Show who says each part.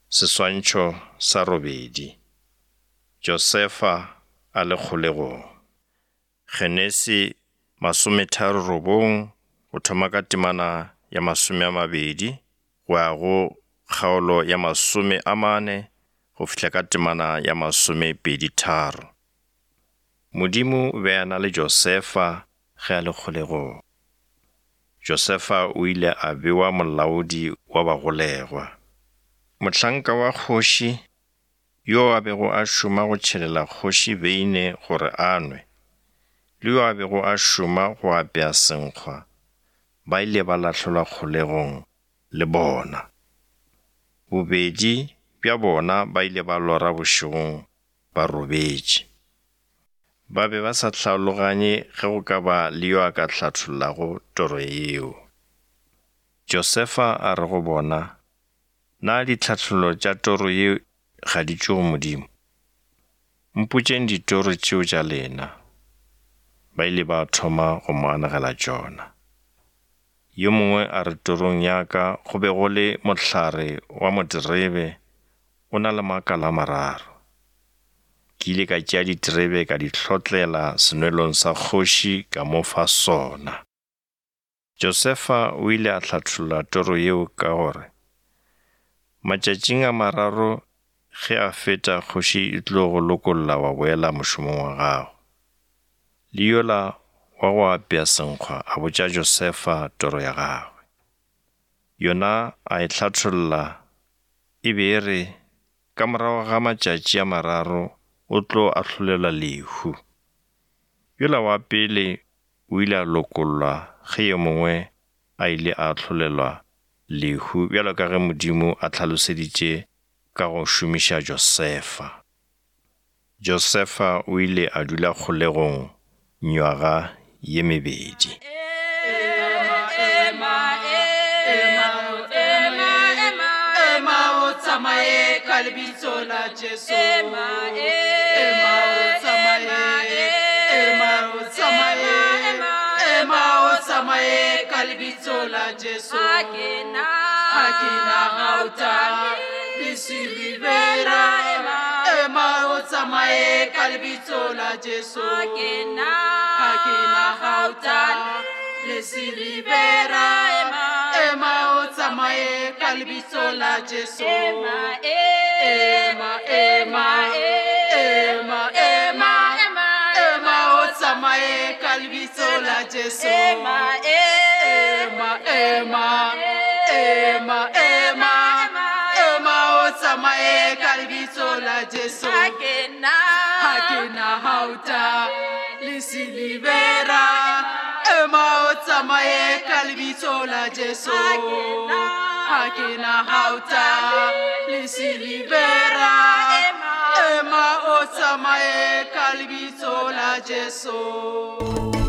Speaker 1: Seswantšho sa robedi. Josefa a le kgolegong. Genesi 39 go thoma ka temana ya 20 go ya go kgaolo ya 40 go fihla ka temana ya 23. Modimo o be a na le Josefa ge a le kgolegong. Josefa o ile a bewa molaodi wa bagolegwa. Mohlanka wa kgoši, yo a bego a šoma go tšhelela kgoši beine gore a nwe, le yo a bego a šoma go apea senkgwa, ba ile ba lahlelwa kgolegong le bona. Bobedi bja bona ba ile ba lora bošegong ba robetše. Ba be ba sa hlaologanye ge go ka ba le yo a ka hlathollago toro yeo. Josefa a re go bona, Na ditlhathollo tša toro ye ga di tšwe go Modimo? Mpotšeng ditoro tšeo tša lena. Ba ile ba thoma go mo anegela tšona. Yo mongwe a re torong ya ka go be go le mohlare wa moterebe o na le makala a mararo. Ke ile ka tšea diterebe ka di hlotlela senwelong sa kgoši ka mo fa sona. Josefa o ile a hlatholla toro yeo ka gore, Matšatšing a mararo ge a feta kgoši e tlo go lokolla wa boela mošomong wa gago. Le yola wa go apea senkgwa a botša Josefa toro ya gagwe. Yona a e hlatholla e be e re, Ka morago ga matšatši a mararo o tlo ahlolelwa lehu. Yola wa pele o ile a lokollwa ge yo mongwe a ile a ahlolelwa lehu bjalo ka ge Modimo a hlaloseditše ka go šomiša Josefa. Josefa o ile a dula kgolegong nywaga ye mebedi.
Speaker 2: Ema o tsamaye ka lebitso la Jesu. Ha ke na gauta le silivera. Ema o tsamaye ka lebitso la Jesu. Ema, ema, ema, ema, ema o tsamaye ka lebitso la Jesu. Ema, ema, ema, ema, ema, ema o tsamaye ka lebitso la Jesu. Ha ke na gauta le silivera. Ema o tsamaye ka lebitso la Jesu. Ha ke na gauta le silivera. Ema o tsamaye ka lebitso la Jesu.